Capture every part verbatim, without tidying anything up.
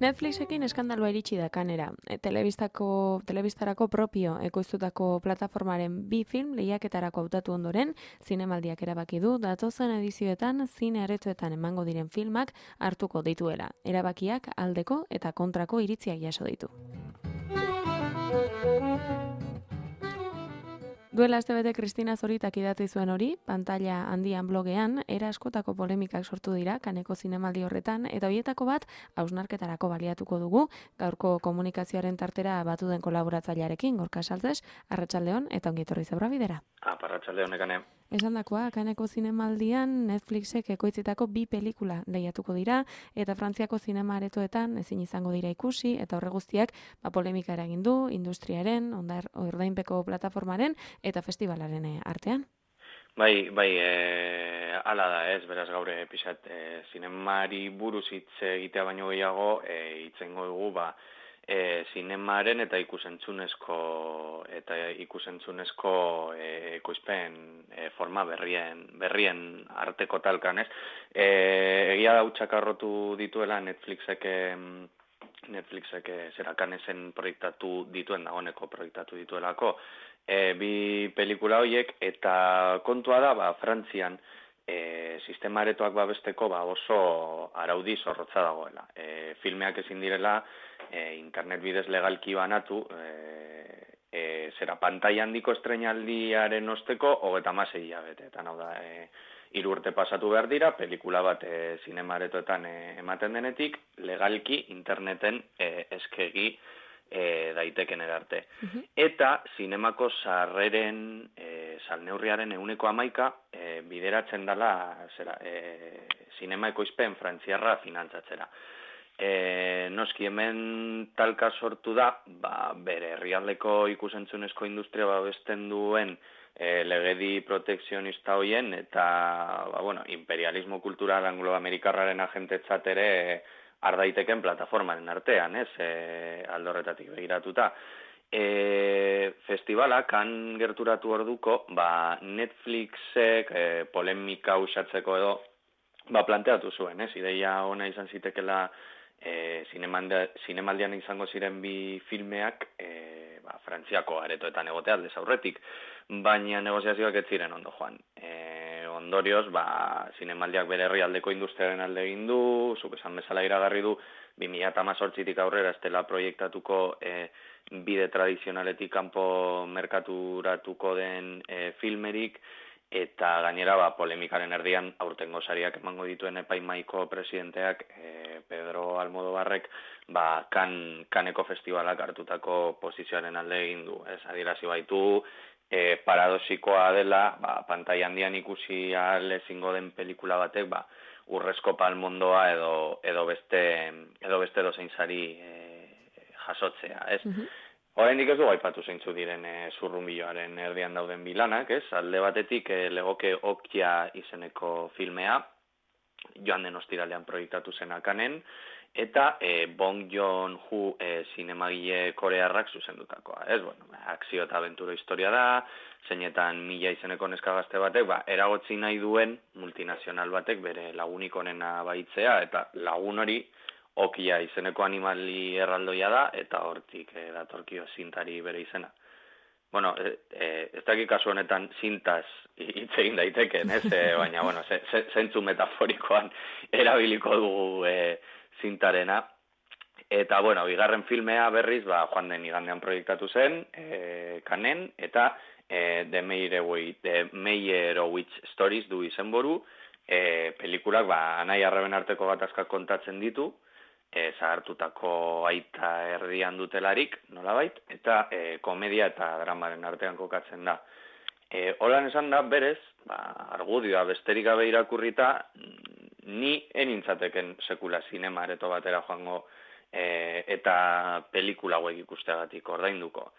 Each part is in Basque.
Netflixekin eskandalua iritsi da kanera. E, telebistako, telebistarako propio ekoiztutako plataformaren bi film lehiaketarako hautatu ondoren, zinemaldiak erabaki du datozen edizioetan zine aretoetan emango diren filmak hartuko dituela. Erabakiak aldeko eta kontrako iritziak jaso ditu. Duela astebete Kristina Zoritak idatzi zuen hori, pantalla handian blogean, era askotako polemikak sortu dira kaneko zinemaldi horretan, eta horietako bat hausnarketarako baliatuko dugu, gaurko komunikazioaren tartera batu den kolaboratzailearekin, Gorka Saltzes, Arratsaldeon eta ongi etorri Zabra bidera. Ah, Arratsaldeon ekane. Esandakoa, kaneko zinemaldian Netflixek ekoitzitako bi pelikula lehiatuko dira, eta Frantziako zinema aretoetan ezin izango dira ikusi, eta horre guztiak ba, polemika eragin du, industriaren, ondar, ordainpeko plataformaren, eta festivalaren artean. Bai, bai, e, ala da ez, beraz gaur pixat, e, zinemari buruz hitz egitea baino gehiago, e, hitzengo dugu, ba, E, zinemaren eta ikusentzunezko eta ikusentzunezko e, ekoizpen e, forma berrien berrien arteko talkan, ez? E, egia da utxakarrotu dituela Netflixek Netflixek zerakanesen proiektatu dituen dagoeneko proiektatu dituelako e, bi pelikula horiek eta kontua da, ba, Frantzian E, sistema aretoak babesteko ba, oso araudi zorrotza dagoela. E, filmeak ezin direla e, internet bidez legalki banatu, e, e, zera pantai handiko estreinaldiaren osteko hogeta hamasei hilabeteetan, hau da, e, hiru urte pasatu behar dira, pelikula bat e, zinema aretoetan e, ematen denetik, legalki interneten e, eskegi E, daiteken erarte. Uh-huh. Eta zinemako sarreren e, salneurriaren euneko hamaika e, bideratzen dela zera, e, zinema ekoizpen frantziarra finantzatzera. E, noski hemen talka sortu da, ba, bere herrialdeko ikusentzunezko industria babesten duen e, legedi protekzionista hoien eta ba, bueno, imperialismo kultural anglo-amerikarraren agentetzat ere e, ardaiteken plataformaren artean, ez, e, aldorretatik begiratuta. E, festivala, kan gerturatu orduko, ba, Netflixek e, polemika usatzeko edo, ba, planteatu zuen, ez, ideia ona izan zitekela e, zinemaldian izango ziren bi filmeak, e, ba, Frantziako aretoetan egotea aldez aurretik, baina negoziazioak ez ziren ondo joan. E, ondorioz, ba, zinemaldiak bere herrialdeko industriaren alde egin du, zuk esan bezala iragarri du, bi mila hemezortzitik aurrera ez dela proiektatuko e, bide tradizionaletik kanpo merkaturatuko den e, filmerik, eta gainera ba, polemikaren erdian aurtengo sariak emango dituen epaimaiko presidenteak e, Pedro Almodobarrek ba, kan, kaneko festivalak hartutako posizioaren alde egin du. Ez adierazi baitu, E, paradoxikoa dela, ba, pantai handian ikusi ahal ezingo den pelikula batek, ba, urrezko palmondoa edo, edo beste edo beste dozein sari e, jasotzea, ez? Uh-huh. Oraindik ez du aipatu zeintzu diren e, zurrunbiloaren erdian dauden bilanak, ez? Alde batetik e, legoke Okja izeneko filmea, joan den ostiralean proiektatu zenakanen, eta e, Bong Joon-ho e, zinemagile korearrak zuzendutakoa, ez? Bueno, akzio eta abenturo historia da, zeinetan mila izeneko neska gazte batek, ba, eragotzi nahi duen multinazional batek bere lagunik onena baitzea, eta lagun hori Okja izeneko animali erraldoia da, eta hortik e, datorkio zintari bere izena. Bueno, e, e, ez dakik kasu honetan zintaz hitz egin daiteken, ez? E, baina, bueno, ze, ze, zentzu metaforikoan erabiliko dugu e, zintarena. Eta, bueno, bigarren filmea berriz, ba, joan den igandean proiektatu zen, e, kanen, eta e, The Meyerowitz Stories du izenboru, e, pelikulak, ba, anai arreben arteko gatazkak kontatzen ditu, e, zahartutako aita erdian dutelarik, nolabait, eta e, komedia eta dramaren artean kokatzen da. E, Holan esan da, berez, ba, argudioa besterik gabe irakurrita, ni enintzateken sekula zinema areto batera joango e, eta pelikula hauek ikusteagatik ordainduko.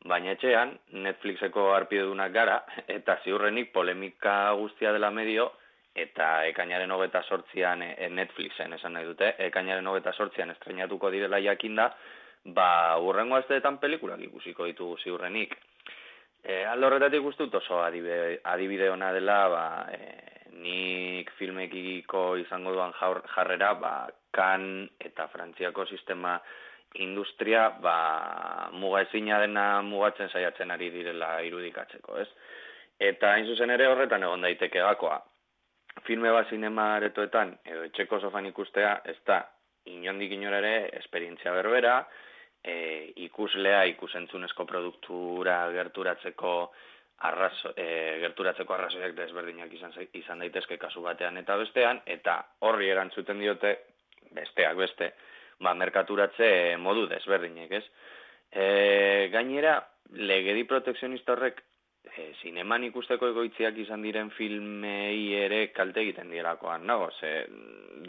Baina etxean, Netflixeko harpidedunak gara, eta ziurrenik polemika guztia dela medio, eta ekainaren hogeta sortzian e, Netflixen esan nahi dute, ekainaren hogeta sortzian estrenatuko direla jakinda, ba, urrengo asteetan pelikulak ikusiko ditugu ziurrenik. E, alde horretatik uste dut oso adibide, adibide ona dela, ba, e, nik filmekiko izango duan jarrera, ba, kan eta Frantziako sistema industria, ba, muga ezina dena mugatzen saiatzen ari direla irudikatzeko, ez? Eta hain zuzen ere horretan egon daiteke gakoa. Filme bat zinema aretoetan, edo etxeko sofan ikustea, ez da inondik inora ere esperientzia berbera, e, ikuslea ikusentzunezko produktura gerturatzeko arrazo, e, gerturatzeko arrazoiak desberdinak izan, izan daitezke kasu batean eta bestean, eta horri erantzuten diote besteak beste, ba, merkaturatze modu desberdinek, ez? E, gainera, legedi protekzionista horrek E, zineman ikusteko egoitziak izan diren filmei ere kalte egiten dielakoan, nago, ze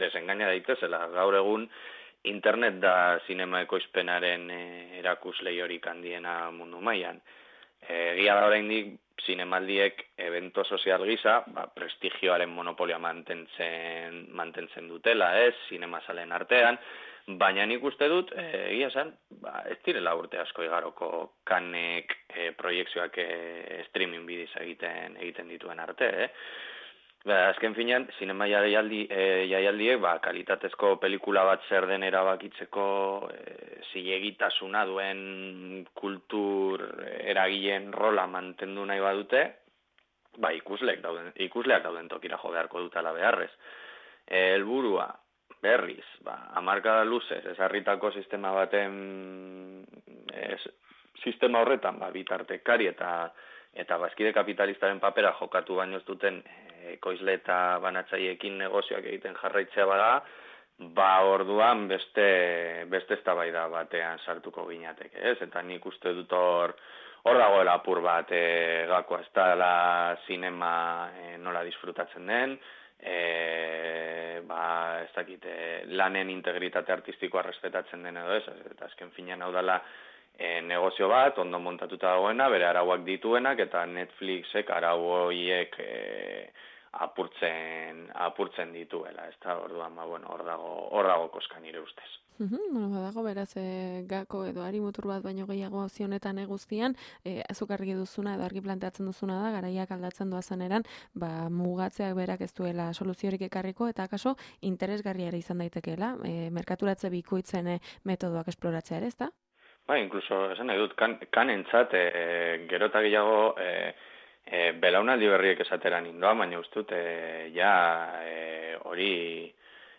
desengaina daitezela, gaur egun internet da zinema ekoizpenaren e, erakuslei horik handiena mundu mailan. Egia da oraindik zinemaldiek evento sozial gisa, ba, prestigioaren monopolia mantentzen, mantentzen dutela, ez, zinemasalen artean, baina nik uste dut, egia esan, ba, ez direla urte asko igaroko kanek e, proiekzioak e, streaming bidiz egiten egiten dituen arte, eh? Ba, azken finean, zinema jaialdi, e, jaialdiek, ba, kalitatezko pelikula bat zer den erabakitzeko e, zilegitasuna duen kultur eragileen rola mantendu nahi badute, ba, ikusleak dauden, ikusleak dauden tokira jo beharko dutela beharrez. E, helburua, berriz, ba, hamarkada luzez, ezarritako sistema baten, ez, sistema horretan, ba, bitartekari eta eta bazkide kapitalistaren papera jokatu baino ez duten ekoizle eta banatzaiekin negozioak egiten jarraitzea bada, ba, orduan beste beste eztabaida batean sartuko ginateke, ez? Eta nik uste dut hor hor dagoela apur bat e, gakoa, ez da zinema e, nola disfrutatzen den, E, ba, ez dakite, lanen integritate artistikoa respetatzen den edo ez, eta azken finean hau dela e, negozio bat, ondo montatuta dagoena, bere arauak dituenak, eta Netflixek arau horiek e, apurtzen, apurtzen dituela, ez da, orduan, ba, bueno, hor dago, hor dago koska nire ustez. Uhum, bueno, badago beraz e, gako edo ari mutur bat baino gehiago zionetan guztian, e, azuk argi duzuna edo argi planteatzen duzuna da, garaiak aldatzen doazen eran, ba, mugatzeak berak ez duela soluziorik ekarriko, eta akaso interesgarria ere izan daitekeela, e, merkaturatze bikoitzen e, metodoak esploratzea ere, ez da? Ba, inkluso, esan nahi dut, kan, kanentzat, e, gero eta gehiago, e, e, belaunaldi berriek esateran indoa, baina ustut, e, ja, e, hori...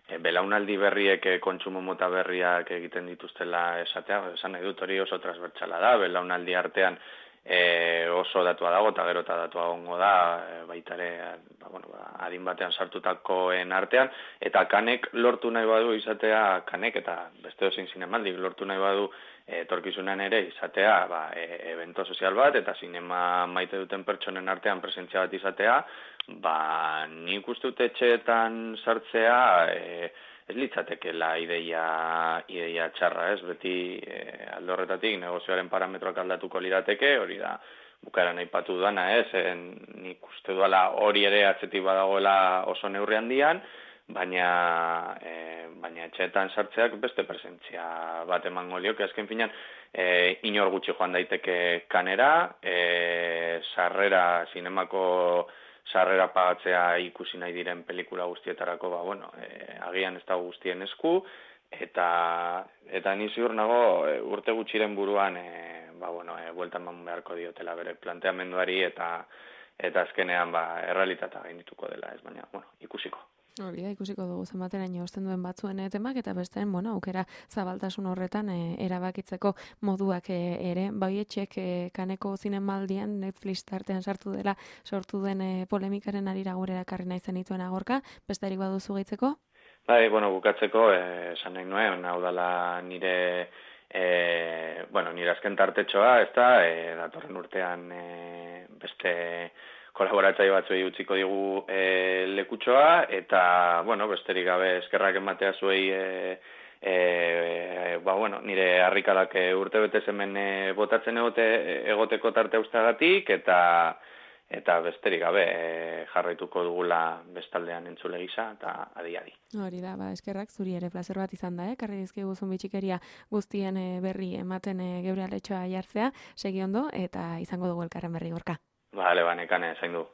E, belaunaldi berriek e, kontsumo mota berriak egiten dituztela esatea, esan nahi dut hori oso transbertsala da, belaunaldi artean e, oso datua dago eta gero eta datua gongo da, e, baitare ba, bueno, ba, adin batean sartutakoen artean, eta kanek lortu nahi badu izatea, kanek eta beste dozin zinemaldik lortu nahi badu etorkizunan ere izatea, ba, e, evento sozial bat eta zinema maite duten pertsonen artean presentzia bat izatea, ba, nik uste dut etxeetan sartzea e, ez litzatekela ideia, ideia txarra, ez? Beti e, alde horretatik negozioaren parametroak aldatuko lirateke, hori da bukaran aipatu dana, ez? En, nik uste duela hori ere atzetik badagoela oso neurri handian, baina e, baina etxeetan sartzeak beste presentzia bat emango lioke, azken finean e, inor gutxi joan daiteke kanera, e, sarrera, zinemako sarrera pagatzea ikusi nahi diren pelikula guztietarako, ba, bueno, e, agian ez da guztien esku, eta eta ni ziur nago e, urte gutxiren buruan, e, ba, bueno, e, bueltan eman beharko diotela bere planteamenduari, eta eta azkenean, ba, errealitatea gaindituko dela, ez, baina, bueno, ikusiko. Hori da, ikusiko dugu zenbateraino osten duen batzuen temak, eta besteen, bueno, aukera zabaltasun horretan e, erabakitzeko moduak e, ere, baietxek e, kaneko zinemaldian Netflix tartean sartu dela sortu den e, polemikaren arira gure erakarri nahi zenituen agorka, besterik baduzu gehitzeko? Bai, bueno, bukatzeko, esan nahi nuen, hau dela nire, e, bueno, nire azken tartetxoa, ez da, e, datorren urtean e, beste kolaboratzaile batzuei utziko digu e, lekutxoa, eta, bueno, besterik gabe eskerrak ematea zuei e, e, ba, bueno, nire harrikalak urte betez hemen e, botatzen egote, egoteko tarte ustagatik, eta eta besterik gabe e, jarraituko dugula bestaldean entzule gisa eta adi-adi. Hori da, ba, eskerrak zuri ere plazer bat izan da, eh? Karri dizkigu bitxikeria guztien e, berri ematen e, geure aletxoa jartzea, segi ondo, eta izango dugu elkarren berri gorka. Bale, ba, nekane, zain du.